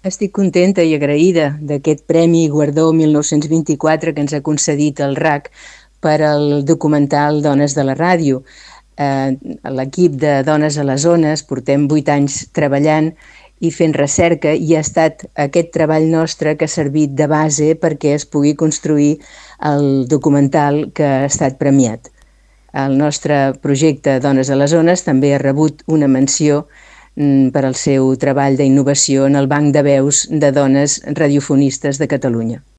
Estic contenta i agraïda d'aquest Premi Guardó 1924 que ens ha concedit el RAC per al documental Dones de la Ràdio. L'equip de Dones a les Ones portem 8 anys treballant i fent recerca i ha estat aquest treball nostre que ha servit de base perquè es pugui construir el documental que ha estat premiat. El nostre projecte Dones a les Ones també ha rebut una menció per al seu treball d'innovació en el Banc de Veus de Dones Radiofonistes de Catalunya.